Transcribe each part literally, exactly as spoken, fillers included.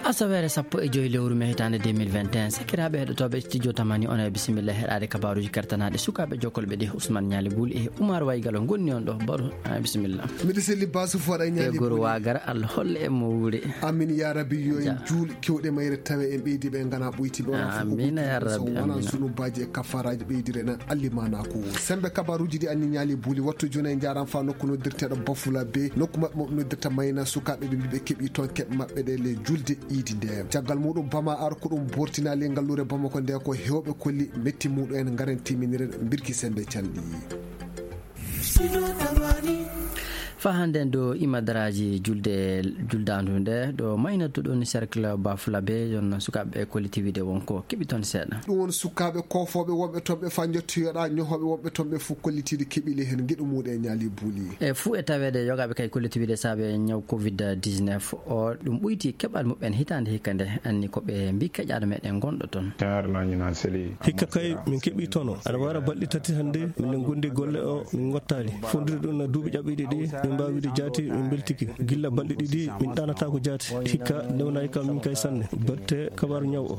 Asaweere sappo e joy lewru mee hitaande deux mille vingt et un, sakiraaɓe heɗotooɓe studio Tamani, on e bisimilla heɗaade kabaaruuji kartanaaɗe sukaaɓe jokkolɓe ɗi. Ousmane Ñaali Buuli e Oumar Waygalo ngoni on ɗo. Baro, a bisimilla. Miɗo selli Basu Fooɗa e Ñaali Buuli. Goro Waagara, Allah holle e mo wuuri. Amin ya Rabbi, yo en juul kewɗe mayre tawe en ɓeydi ɓe ngana ɓoyti ɓe wona fof ko ɓoyti. Amina ya Rabbi, so wona amina. Sunubaaji e kafaraaji ɓeydire nan allimaana ko. Sembe kabaaruuji ɗi anni Ñaali Buuli, wattu jooni en njaaran fa nokku noddirteeɗo Bafula be nokku maɓɓe mo ɓe noddirta Mayna, sukaaɓe ɓe mbiɓe keɓi toon keɓe maɓɓe ɗe le julde iidi nde. Caggal muɗum Bama Ar ko ɗum bortinaali ngalluure Bamako nde ko heewɓe kolli metti muɗum en ngaren timminire mbirki sembe calɗi. Fa hannde ɗo imadaraaji julde, juldaandu nde ɗo maynatu ɗon cercle Bafula be yon sukaaɓe kollitiwide wonko keɓi toon seeɗa. Ɗum won sukaaɓe koofooɓe wonɓe toon ɓe fa njottoyoɗa ñohooɓe wonɓe toon ɓe fof kollitiiɗo keɓili heen ngeɗu muɗum e Ñaali Buuli. E fuu e taweede yogaaɓe kay kollitiwide saabe ñaw covid dix-neuf o ɗum ɓoyti keɓal muɓɓen hitaande hikka nde anni ko ɓe mbi keƴaɗo meɗen gonɗo toon. Hikka kay min keɓi tono. Aɗa wara balɗe tati hannde min ngondi golle o min ngottaali. Fondude ɗum no duuɓi ƴaɓɓiɗi ɗi min mbawi wiide jaati min beltiki. Gilla balɗe ɗiɗi min ɗanatako jaati. Hikka newnayi kam min kay sanne. Batte kabaru ñaw o.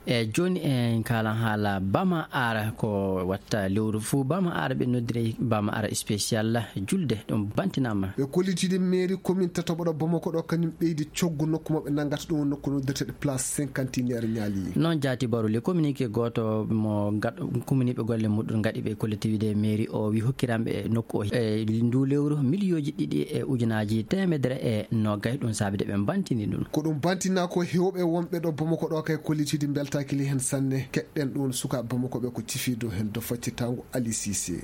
E jooni en kaalan haala Bama Ara ko watta lewru fuu. Bama Ara ɓe noddiri Bama Ara spécial julde ɗum bantinama. Ɓe kollitiiɗi mairie commune tataɓo ɗo Bamako ɗo kañum ɓeydi coggu nokku maɓɓe nanngata ɗum woni nokku noddirteeɗo place cinquantenaire Ñaali. Noon jaati Baro le communiqué gooto mo gaɗ-, communiqué golle muɗum gaɗi ɓe kollitiiɗi mairie o wi hokkiranɓe nokku o e ndu lewru miliyooji ɗiɗi e ujunaaji teemedere e noogay ɗum saabi de ɓe mbantini ɗum. Ko ɗum bantina ko heewɓe wonɓe ɗo Bamako ɗo kay kollitiiɗi mbeltaaki li heen sanne. Keɗɗen ɗum sukaaɓe Bamako ɓe ko cifiiɗo heen do faccitango Ali Cissé.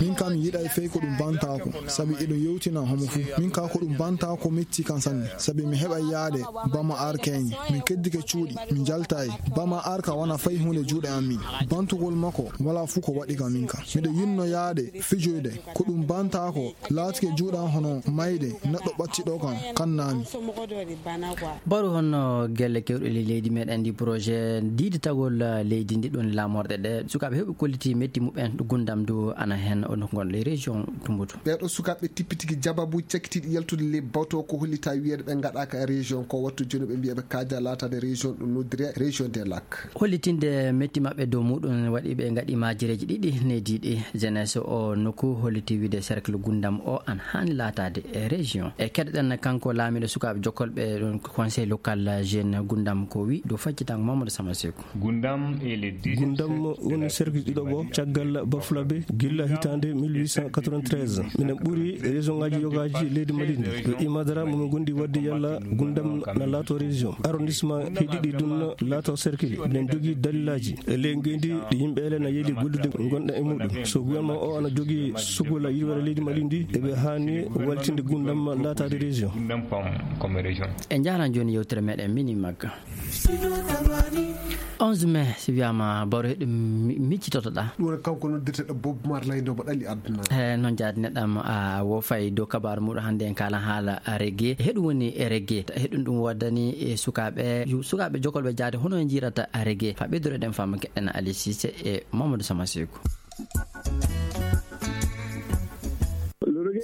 Min kam mi yiɗay fey ko ɗum bantaako, sabi eɗum yewtina homo fuu. Min ka ko ɗum bantaako metti kan sanne, sabi mi heɓay yaade Bama Ar keñe. Min keddike cuuɗi, min jaltay. Bama Ar ka wona fay huunde juuɗe am min. Bantugol makko wala fuu ko waɗi ka min ka. Miɗo yinno yaade fijoyde, ko ɗum bantaako laatike juuɗe am hono mayde neɗɗo ɓattiɗo kan kannami. Baro honno gelle kewɗe le-, leydi meɗen ndi projet diiditagol, eh, leydi ndi ɗon laamorɗe ɗe sukaaɓe heɓi kolliti metti muɓɓen gundam du ana hen o nokku ngon le région Tumbutu. Ɓeeɗo sukaaɓe tippitigi jababu cakkitiiɗi yaltude le bawto ko hollita wiyeede ɓe ngaɗaaka région ko wattu jooni ɓe mbiya ɓe kaaja laataade région ɗum noddire région des lacs. Hollitinde metti maɓɓe dow muɗum waɗi ɓe ngaɗi maajireeji ɗiɗi nediiɗi. Jeunesse o nokku holliti wiide cercle Gundam o an haani laataade e région. E keɗoɗen kanko laamiiɗo sukaaɓe jokkolɓe ɗum conseil local jeune Gundam ko wi dow faccitango Mamadou Sama Seku. Gundam e le dix-neuf Gundam woni cercle ɗiɗo bo caggal Bafulabe gilla hitaande mille huit cent quatre-vingt-treize. Minen ɓuri région ngaji yogaaji leydi Mali ndi. Ɗo Imadara mo min gondi wadde yalla Gundam na laato région. Arrondissement heɗiɗi ɗum na laato cercle. Minen jogii dalilaji. E ley ngendi ɗi yimɓe ele na yeeli gollude gonɗa e muɗum. So gouvernement o ana jogii sugula yirwere leydi Mali ndi, eɓe haani waltinde Gundam laataade région. Gundam pam comme région. E jaaran jooni yewtere meɗen mini magga. Onze mai, si wiyama Baro heɗum mi-, miccitotoɗa. Ɗum woni kanko noddirteɗo Bob Marley nde mo ɗali aduna. E noon jaadi neɗɗam a wo fay dow kabaru muɗum hannde en kala haala reggae. Heɗum woni reggae. Heɗum ɗum waddani e sukaaɓe, yu-, sukaaɓe jokolɓe jaade hono en jirata reggae. Fa ɓeydureɗen fama keɗɗen Ali Cissé e Mamadou Sama Seku.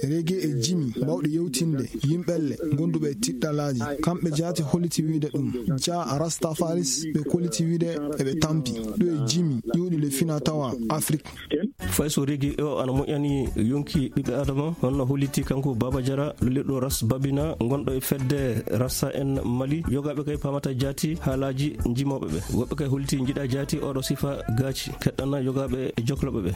Reggae e jimi bawɗi yewtinde yimɓelle gonduɓe e tiɗɗalaaji. Kamɓe jaati holliti wiide ɗum. Jah Rastafaris ɓe kolliti wiide eɓe tampi. Ɗo e jimi iwɗi le fina tawa Afrik. Fay so reggae o ana moƴƴani yonki ɓiɓɓe Adama, hono holliti kanko Baba Jara, lolirɗo Ras Babina, gonɗo e fedde Rasta en Mali, yogaaɓe kay pamata jaati haalaaji jimooɓe ɓe. Woɓɓe kay holliti njiɗa jaati oɗo sifa gaaci, keɗɗana yogaaɓe e jokloɓe ɓe.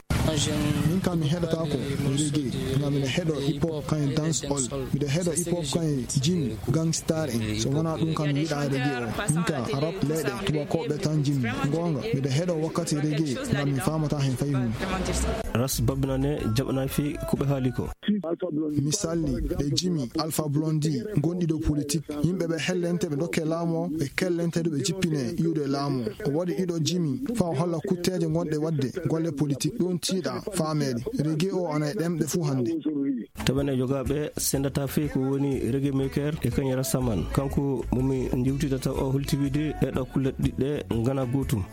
Min kam mi heɗotaako reggae, ngam miɗo heɗo hip hop kan e dance hall. Miɗo heɗo hip hop kan e jimi, gangstar en. So wonaa ɗum kam mi yiɗaa reggae o. Min ka rap leyɗe tubakooɓe tan jimi. Goonga, miɗo heɗo wakkati reggae ngam mi faamata heen fay huunde. Ras Babina ne jaɓanaa fii ko ɓe haali ko. Mi salli ɓe jimi Alpha Blondy gonɗi dow politik. Yimɓe ɓe hellente ɓe dokke laamu o, ɓe kellente du ɓe jippine iwde laamu o. O waɗi ɗiɗo jimi faa o holla kutteeje gonɗe waɗde golle politik. Ɗum tiiɗa faameede. Reggae o ana e ɗemɗe fuu hannde. Tawa ne yogaaɓe sendataa fii ko woni reggae maker e kañum Rastaman. Kanko mo mi njewtidata o holti wiide ɗeɗo kulle ɗiɗi ɗe ngana gootum.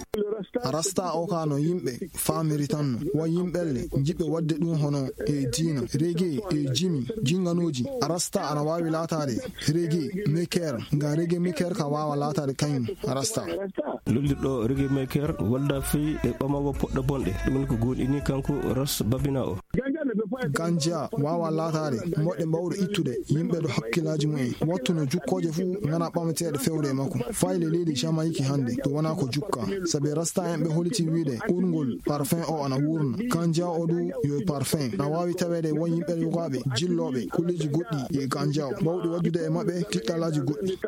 Rasta o ka no yimɓe faamiri tan no. Won yimɓelle jiɓɓe waɗde ɗum hono e diina, reggae e jimi, jinganooji. Rasta ana waawi laataade reggae maker, nga reggae maker ka waawa laataade kañum Rasta. Lullirɗo reggae maker walda fii e ɓamago poɗɗo bonɗe. Ɗum woni ko goonɗini kanko Ras Babina o. Ganja waawa laataade moɗɗe mbawɗe ittude yimɓe ɗo hakkillaaji mumen. Wattu no jukkooje fuu ngana ɓamateeɗe fewde e makko. Fayle leydi Jamaïque hannde ɗum wonaa ko jukka. Sabi Rasta en ɓe holiti wiide urngol parfum o ana wuurna. Ganja o du yo parfum. Na waawi taweede won yimɓe yogaaɓe jillooɓe kulleeji goɗɗi e ganja o. Bawɗi waɗdude e maɓɓe tiɗɗalaaji goɗɗi.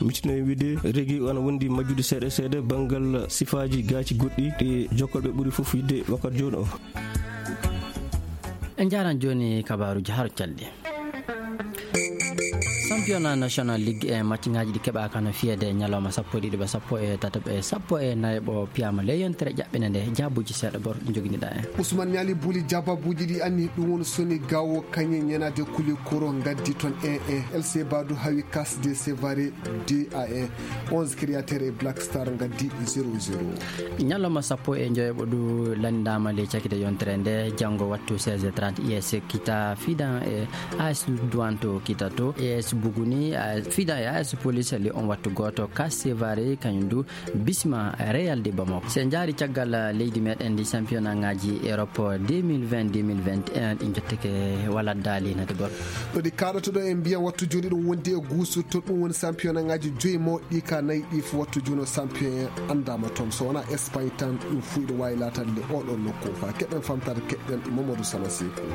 Mitino e wiide reggae o ana wondi majjude seeɗa seeɗa banngal sifaaji gaaci goɗɗi ɗi jokkolɓe ɓuri fof yidde wakkati jooni o. En njaaran jooni kabaaruuji haro calɗi. Championnat national ligue e match ngaji ɗi keɓaka no fiyede ñalawma sappo e ɗiɗi ɓe sappo e tataɓo e sappo e nayaɓo piyama le yontere ƴaɓɓine nde. Jaabuji seeɗa bor ɗi joginiɗa en. Ousmane Niali Bouli, jaababuji ɗi anni ɗum woni soni gawo kañe ñanade kuli koro gaddi toon e e L C Badou hawi Casde Sevare deux à un. Onze créateur e Black Star gaddi zéro zéro. Ñalawma sappo e njoyoɓo ɗu landama le cakite yontere nde, janngo wattu seize heures trente, U S kita fidan e A S Douane to kita to, A S Buguni, A S fidan e A S Police le on wattu goto. Casde Sevare kañum du bisma Real de Bamako. Se jaari caggal leydi meɗen ndi championnat ngaji Europe deux mille vingt, deux mille vingt et un ɗi jotteke wala daali nade gol. Ɗo ɗi kaɗoto ɗo en mbiyan wattu joni ɗum wondi e guusu to ɗum woni championnat ngaji joyi mawɗi ka nayi ɗi fof wattu joni o champion en andama toon. So wona Espagne tan ɗum fuɗi wawi latade nde oɗon nokku fa keɗen famtade keɗen Mamadou Sala Sekou.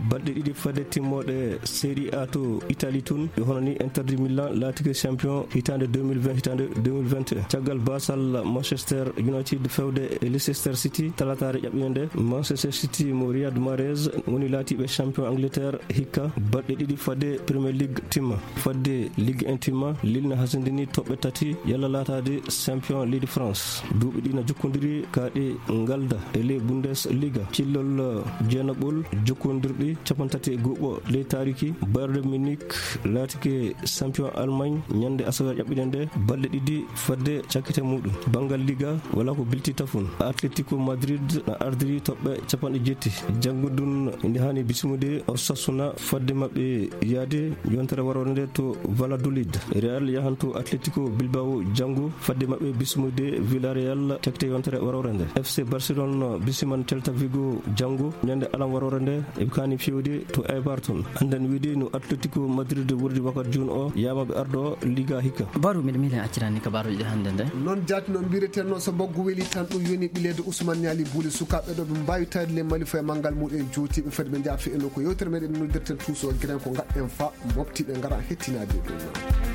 Balɗe ɗiɗi fadde timmoɗe Serie A to Italie tun, ɓe hono ni Inter de Milan laatike champion hitande deux mille vingt, hitande deux mille vingt et un. Caggal basal Manchester United fewde e Leicester City, talatare ƴaɓɓinde nde, Manchester City mo Riyad Mahrez woni laatiɓe champion Angleterre hikka balɗe ɗiɗi fadde Premier League timma. Fadde Ligue un timma, Lille na hasindini toɓɓe tati yalla laataade champion leydi France. Duuɓi ɗi na jokkodiri ka ɗe ngalda e ley Bundesliga. Cillol jeenaɓol jokkondirɗi capantati e go'o ley taariki. Bayern Munich laatike champion Allemagne ñande asawe ƴaɓɓiɗe nde, balɗe ɗiɗi fadde cakkite muɗum. Banngal Liga wala ko bilti tafun. Atletico Madrid na ardiri toɓɓe capanɗe jetti. Janngo ɗun indi hani bismude Osasuna fadde maɓɓe yaade yontere warore nde to Valladolid. Real yahanto Atletico Bilbao janngo fadde maɓɓe bismude Villarreal cakte yontere warore nde. F C Barcelone bisiman Celta Vigo janngo ñande alam warore nde. Eɓe kani fewde to Eibar ton. Annden wiide no Atletico Madrid wurdi wakkati jooni o, yama ɓe ardo Liga hikka. Baru, miɗo miilen accirani kabaruji ɗi hannde nde. Noon jaati no mbiretenno, so mbaggu weli tan ɗum yoni ɓileede Ousmane Niali Bouli. Sukaaɓe ɗo ɓe mbaawi taade le Mali fo e manngal muɗum jooti ɓe fadi ɓe njaafi eno ko yewtere meɗen noddirten tuuso giren ko ngaɗɗen fa moftiɓe ngara hettinaade ɗum.